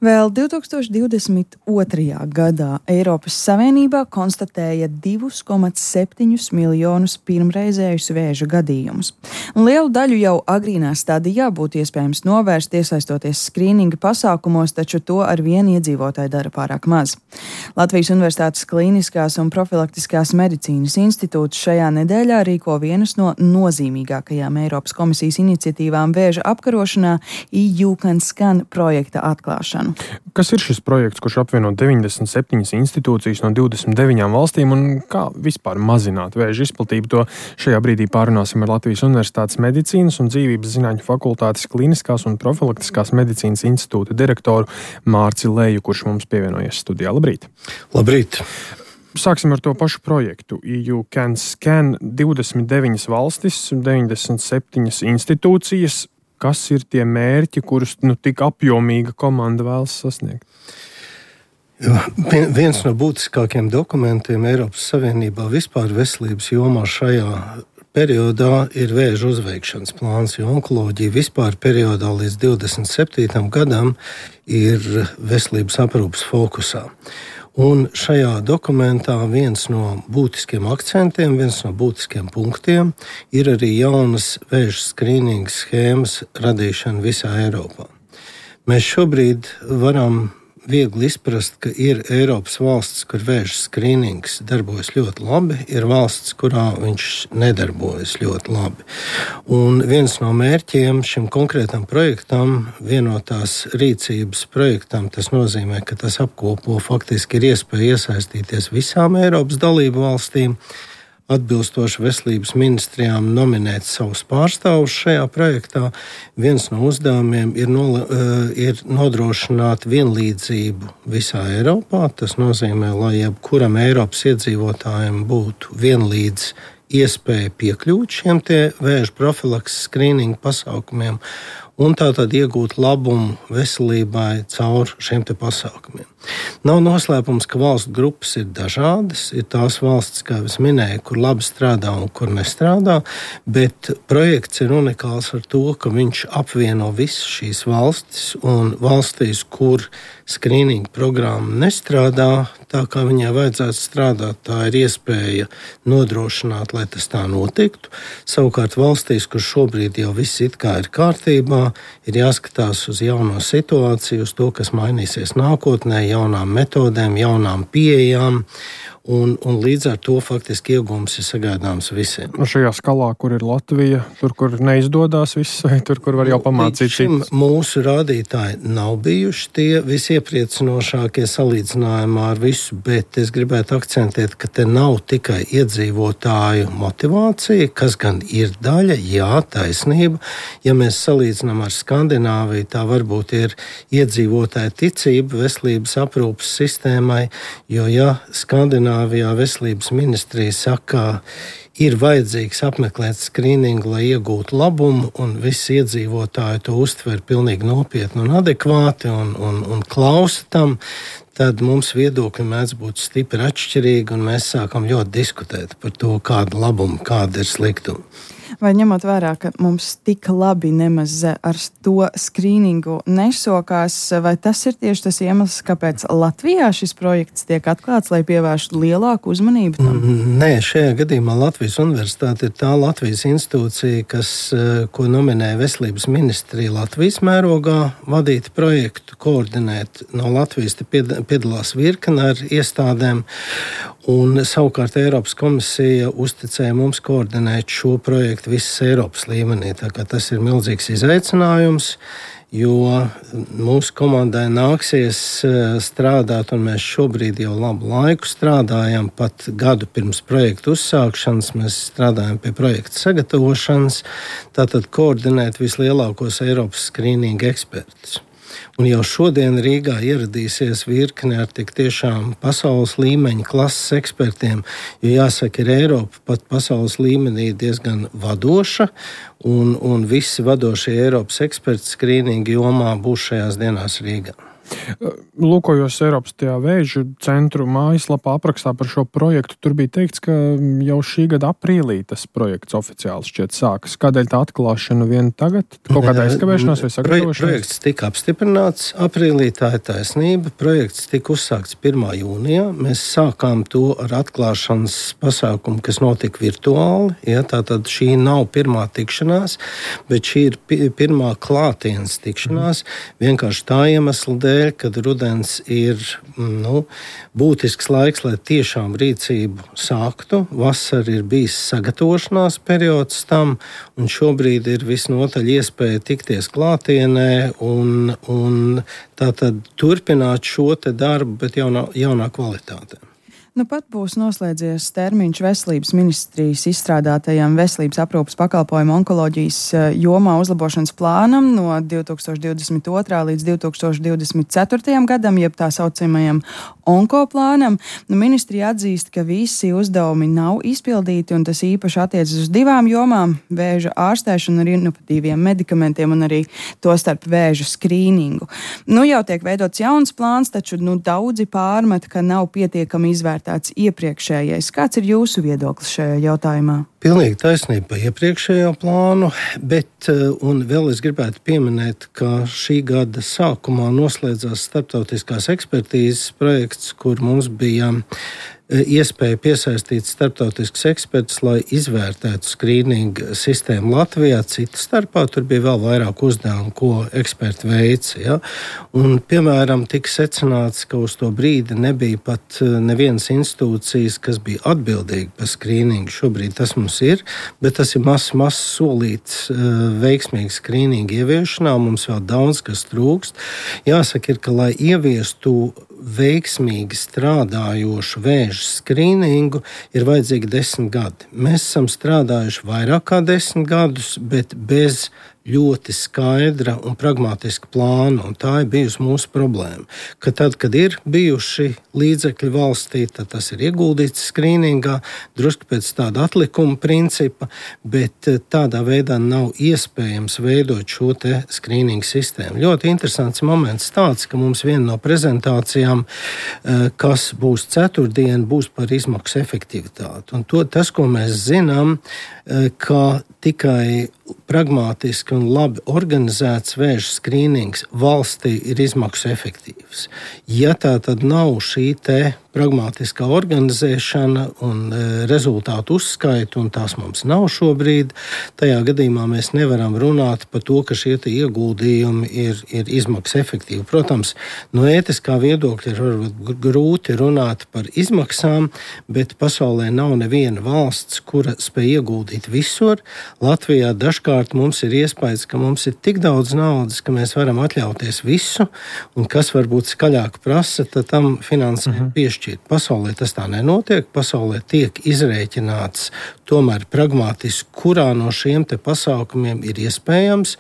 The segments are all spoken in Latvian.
Vēl 2022. gadā Eiropas Savienībā konstatēja 2,7 miljonus pirmreizējus vēža gadījumus. Lielu daļu jau agrīnā stadijā būtu iespējams novērst, iesaistoties skrīninga pasākumos, taču to ar vienu iedzīvotāju dara pārāk maz. Latvijas Universitātes Klīniskās un profilaktiskās medicīnas institūts šajā nedēļā rīko vienas no nozīmīgākajām Eiropas komisijas iniciatīvām vēža apkarošanā EU Can Scan projekta atklāšanu. Kas ir šis projekts, kurš apvieno 97 institūcijas no 29 valstīm un kā vispār mazināt vēža izplatību? To šajā brīdī pārunāsim ar Latvijas Universitātes medicīnas un dzīvības zinātņu fakultātes klīniskās un profilaktiskās medicīnas institūta direktoru Mārci Leju, kurš mums pievienojies studijā. Labrīt! Labrīt! Sāksim ar to pašu projektu. EU Can Scan 29 valstis, 97 institūcijas. Kas ir tie mērķi, kurus tik apjomīga komanda vēlas sasniegt? Viens no būtiskākajiem dokumentiem Eiropas Savienībā vispār veselības jomā šajā periodā ir vēža uzveikšanas plāns, jo onkoloģija vispār periodā līdz 27. gadam ir veselības aprūpes fokusā. Un šajā dokumentā viens no būtiskiem akcentiem, viens no būtiskiem punktiem ir arī jaunas vēža skrīninga schēmas radīšana visā Eiropā. Mēs šobrīd varam viegli izprast, ka ir Eiropas valsts, kur vēža skrīnings darbojas ļoti labi, ir valsts, kurā viņš nedarbojas ļoti labi. Un viens no mērķiem šim konkrētam projektam, vienotās rīcības projektam, tas nozīmē, ka tas apkopo faktiski ir iespēja iesaistīties visām Eiropas dalību valstīm, atbilstoši veselības ministrijām nominēt savus pārstāvus šajā projektā. Viens no uzdevumiem ir nodrošināt vienlīdzību visā Eiropā. Tas nozīmē, lai jebkuram Eiropas iedzīvotājiem būtu vienlīdz iespēja piekļūt šiem vēža profilakses skrīninga pasākumiem un tātad iegūt labumu veselībai caur šiem pasākumiem. Nav noslēpums, ka valstu grupas ir dažādas. Ir tās valstis, kā es minēju, kur labi strādā un kur nestrādā, bet projekts ir unikāls ar to, ka viņš apvieno visas šīs valstis, un valstīs, kur skrīninga programma nestrādā tā, kā viņai vajadzētu strādāt, tā ir iespēja nodrošināt, lai tas tā notiktu. Savukārt valstīs, kur šobrīd jau viss it kā ir kārtībā, ir jāskatās uz jauno situāciju, uz to, kas mainīsies nākotnē, jaunām metodēm, jaunām pieejām, un līdz ar to faktiski iegūms ir sagaidāms visiem. Šajā skalā, kur ir Latvija, tur, kur neizdodas viss, vai tur, kur var jau pamācīt citus? Mūsu rādītāji nav bijuši tie visiepriecinošākie salīdzinājumā ar visu, bet es gribētu akcentēt, ka te nav tikai iedzīvotāju motivācija, kas gan ir daļa, jā, taisnība. Ja mēs salīdzinām ar Skandināviju, tā varbūt ir iedzīvotāja ticība veselības aprūpes sistēmai, jo ja Skandināvijā veselības ministrija saka, ir vajadzīgs apmeklēt skrīningu, lai iegūtu labumu, un visi iedzīvotāji to uztver pilnīgi nopietni un adekvāti un klausa tam, tad mums viedokļi mēdz būt stipri atšķirīgi, un mēs sākam ļoti diskutēt par to, kāda labuma, kāda ir sliktuma. Vai ņemot vērā, ka mums tik labi nemaz ar to skrīningu nesokās, vai tas ir tieši tas iemesls, kāpēc Latvijā šis projekts tiek atklāts, lai pievērstu lielāku uzmanību tam? Nē, šajā gadījumā Latvijas Universitāte ir tā Latvijas institūcija, ko nominē Veselības ministrija Latvijas mērogā vadīt projektu, koordinēt. No Latvijas piedalās virkne ar iestādēm, un savukārt Eiropas komisija uzticēja mums koordinēt šo projektu visas Eiropas līmenī. Tā kā tas ir milzīgs izaicinājums, jo mūsu komandai nāksies strādāt, un mēs šobrīd jau labu laiku strādājam, pat gadu pirms projekta uzsākšanas, mēs strādājam pie projekta sagatavošanas, tātad koordinēt vislielākos Eiropas skrīninga ekspertus. Un jau šodien Rīgā ieradīsies virkne ar tik tiešām pasaules līmeņa klases ekspertiem, jo jāsaka, ir Eiropa pat pasaules līmenī diezgan vadoša, un visi vadošie Eiropas eksperti skrīninga jomā būs šajās dienās Rīgā. Lūkojos Eiropas tajā vēža centru mājaslapā aprakstā par šo projektu. Tur bija teikts, ka jau šī gada aprīlī tas projekts oficiāli šķiet sākas. Kādēļ tā atklāšana vien tagad? Kaut kāda aizkavēšanās vai sagatavošanās? Projekts tika apstiprināts aprīlī, tā ir taisnība. Projekts tika uzsākts 1. jūnijā. Mēs sākām to ar atklāšanas pasākumu, kas notika virtuāli. Ja, tātad šī nav pirmā tikšanās, bet šī ir pirmā klātienes tikšanās. Vienkārši tā iemesla dēļ, kad rudens ir būtisks laiks, lai tiešām rīcību sāktu. Vasara ir bijis sagatavošanās periods tam, un šobrīd ir visnotaļ iespēja tikties klātienē un tātad turpināt šo te darbu, bet jaunā kvalitātē. Nu pat būs noslēdzies termiņš veselības ministrijas izstrādātajam veselības aprūpes pakalpojumu onkoloģijas jomā uzlabošanas plānam no 2022. līdz 2024. gadam, jeb tā saucamajam onkoplānam. Ministrija atzīst, ka visi uzdevumi nav izpildīti, un tas īpaši attiecas uz 2 jomām - vēža ārstēšanu ar inovatīviem medikamentiem un arī tostarp vēža skrīningu. Jau tiek veidots jauns plāns, taču daudzi pārmet, ka nav pietiekami izvērtēts iepriekšējais. Kāds ir jūsu viedoklis šajā jautājumā? Pilnīgi taisnība par iepriekšējo plānu, bet un vēl es gribētu pieminēt, ka šī gada sākumā noslēdzās starptautiskās ekspertīzes projekts, kur mums bija iespēja piesaistīt starptautiskus ekspertus, lai izvērtētu skrīningu sistēmu Latvijā. Cita starpā tur bija vēl vairāk uzdevumu, ko eksperti veica. Ja? Un, piemēram, tika secināts, ka uz to brīdi nebija pat nevienas institūcijas, kas bija atbildīga par skrīningu. Šobrīd tas mums ir, bet tas ir mazs solīts veiksmīgu skrīningu ieviešanā. Mums vēl daudz kas trūkst. Jāsaka ir, ka lai ieviestu veiksmīgi strādājošu vēža skrīningu, ir vajadzīgi 10 gadi. Mēs esam strādājuši vairāk kā 10 gadus, bet bez ļoti skaidra un pragmatiska plāna, un tā ir bijusi mūsu problēma. Ka tad, kad ir bijuši līdzekļi valstī, tad tas ir ieguldīts skrīningā, drusku pēc tāda atlikuma principa, bet tādā veidā nav iespējams veidot šo te skrīningu sistēmu. Ļoti interesants moments tāds, ka mums viena no prezentācijām, kas būs ceturtdien, būs par izmaksu efektivitāti. Un tas, ko mēs zinām, ka tikai pragmātiski un labi organizēts vēža skrīnings valstī ir izmaksu efektīvs. Ja tā tad nav šī te pragmātiskā organizēšana un rezultātu uzskaita, un tās mums nav šobrīd, tajā gadījumā mēs nevaram runāt par to, ka šie ieguldījumi ir izmaksu efektīvi. Protams, no ētiskā viedokļa ir varbūt grūti runāt par izmaksām, bet pasaulē nav neviena valsts, kura spēj ieguldīt visur. Latvijā dažkārt mums ir iespējas, ka mums ir tik daudz naudas, ka mēs varam atļauties visu, un kas varbūt skaļāk prasa, tad tam finansējumu piešķirt. Pasaulē tas tā nenotiek. Pasaulē tiek izrēķināts tomēr pragmatiski, kurā no šiem te pasākumiem ir iespējams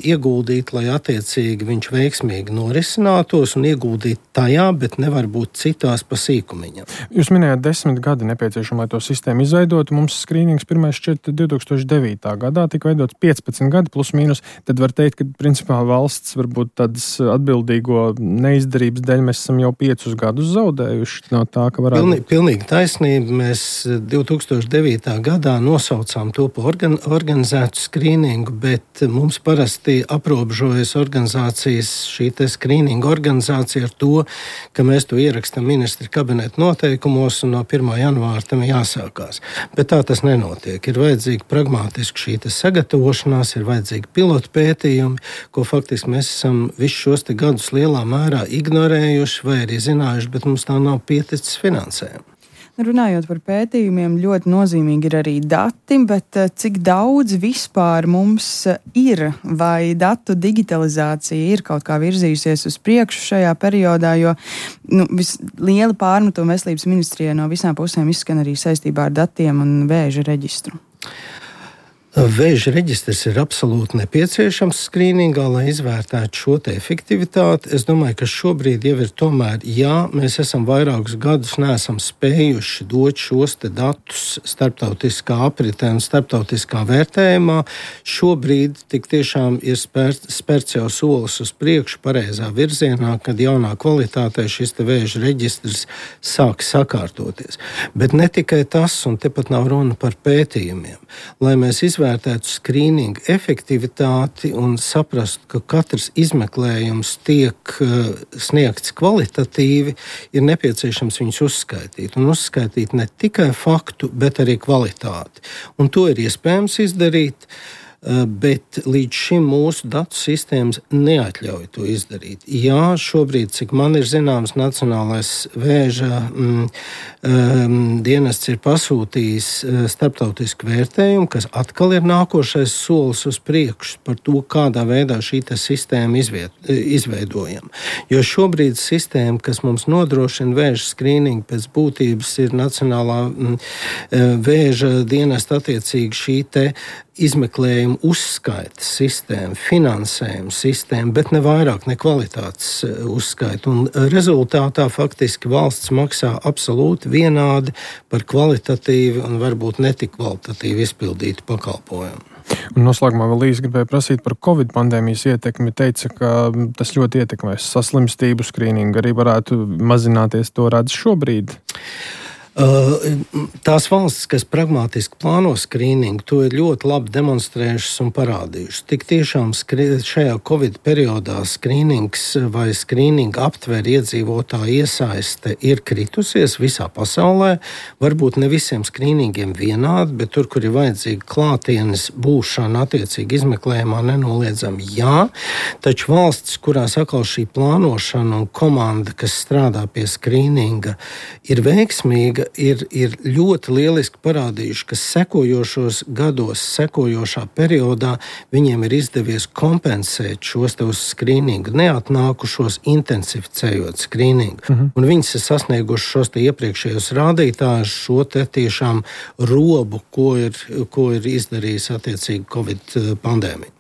ieguldīt, lai attiecīgi viņš veiksmīgi norisinātos, un ieguldīt tajā, bet nevar būt citās pa sīkumiņam. Jūs minējāt 10 gadi nepieciešami, lai to sistēmu izveidotu. Mums skrīnings pirmais šķiet 2009. gadā, tika veidots 15 gadi plus mīnus. Tad var teikt, ka principā valsts varbūt tādas atbildīgo neizdarības dēļ mēs esam jau 5 gadus zaudējuši no tā, ka varētu... Pilnīgi taisnība. Mēs 2009. gadā nosaucām to par organizētu skrīningu, bet mums parasti aprobežojas organizācijas, šī te skrīninga organizācija ar to, ka mēs to ierakstam ministra kabineta noteikumos un no 1. janvāra tam jāsākās. Bet tā tas nenotiek. Ir vajadzīga pragmātiski šī te sagatavošanās, ir vajadzīgi pilotu pētījumi, ko faktiski mēs esam visus šos te gadus lielā mērā ignorējuši vai arī zinājuši, bet mums tā nav pieticis finansējumu. Runājot par pētījumiem, ļoti nozīmīgi ir arī dati, bet cik daudz vispār mums ir, vai datu digitalizācija ir kaut kā virzījusies uz priekšu šajā periodā, jo liela pārmetuma veselības ministrijai no visām pusēm izskan arī saistībā ar datiem un vēža reģistru. Vēža reģistrs ir absolūti nepieciešams skrīningā, lai izvērtētu šo te efektivitāti. Es domāju, ka šobrīd jau ir tomēr, mēs esam vairākus gadus neesam spējuši dot šos te datus starptautiskā apritē un starptautiskā vērtējumā. Šobrīd tik tiešām ir spērts jau solis uz priekšu pareizā virzienā, kad jaunā kvalitātē šis te vēža reģistrs sāk sakārtoties. Bet ne tikai tas, un tepat nav runa par pētījumiem. Lai mēs izvērtētu skrīningu efektivitāti un saprastu, ka katrs izmeklējums tiek sniegts kvalitatīvi, ir nepieciešams viņus uzskaitīt. Un uzskaitīt ne tikai faktu, bet arī kvalitāti. Un to ir iespējams izdarīt, bet līdz šim mūsu datu sistēmas neatļauj to izdarīt. Jā, šobrīd, cik man ir zināms, Nacionālais vēža dienests ir pasūtījis starptautisku vērtējumu, kas atkal ir nākošais solis uz priekšu par to, kādā veidā šī sistēma izveidojama. Jo šobrīd sistēma, kas mums nodrošina vēža skrīningu pēc būtības, ir Nacionālā vēža dienesta attiecīgi šī te izmeklējuma uzskaita sistēma, finansējuma sistēma, bet ne vairāk, ne kvalitātes uzskaita. Un rezultātā faktiski valsts maksā absolūti vienādi par kvalitatīvi un varbūt netik kvalitatīvi izpildītu pakalpojumu. Un noslēgumā vēl īsi gribēju prasīt par Covid pandēmijas ietekmi. Teica, ka tas ļoti ietekmēs saslimstību, skrīningu arī varētu mazināties. To redz šobrīd? Tās valstis, kas pragmatiski plāno skrīningu, to ir ļoti labi demonstrējušas un parādījušas. Tik tiešām šajā Covid periodā skrīnings vai skrīninga aptver iedzīvotāju iesaiste ir kritusies visā pasaulē. Varbūt ne visiem skrīningiem vienādi, bet tur, kur ir vajadzīga klātienes būšana attiecīgi izmeklējumā, nenoliedzami jā. Taču valstis, kurās atkal šī plānošana un komanda, kas strādā pie skrīninga, ir veiksmīga, ir ļoti lieliski parādījuši, ka sekojošos gados, sekojošā periodā viņiem ir izdevies kompensēt šos te uz skrīningu neatnākušos, intensificējot skrīningu. Un viņas ir sasnieguši šos te iepriekšējos rādītājus, šo te tiešām robu, ko ir izdarījis attiecīgi Covid pandēmija.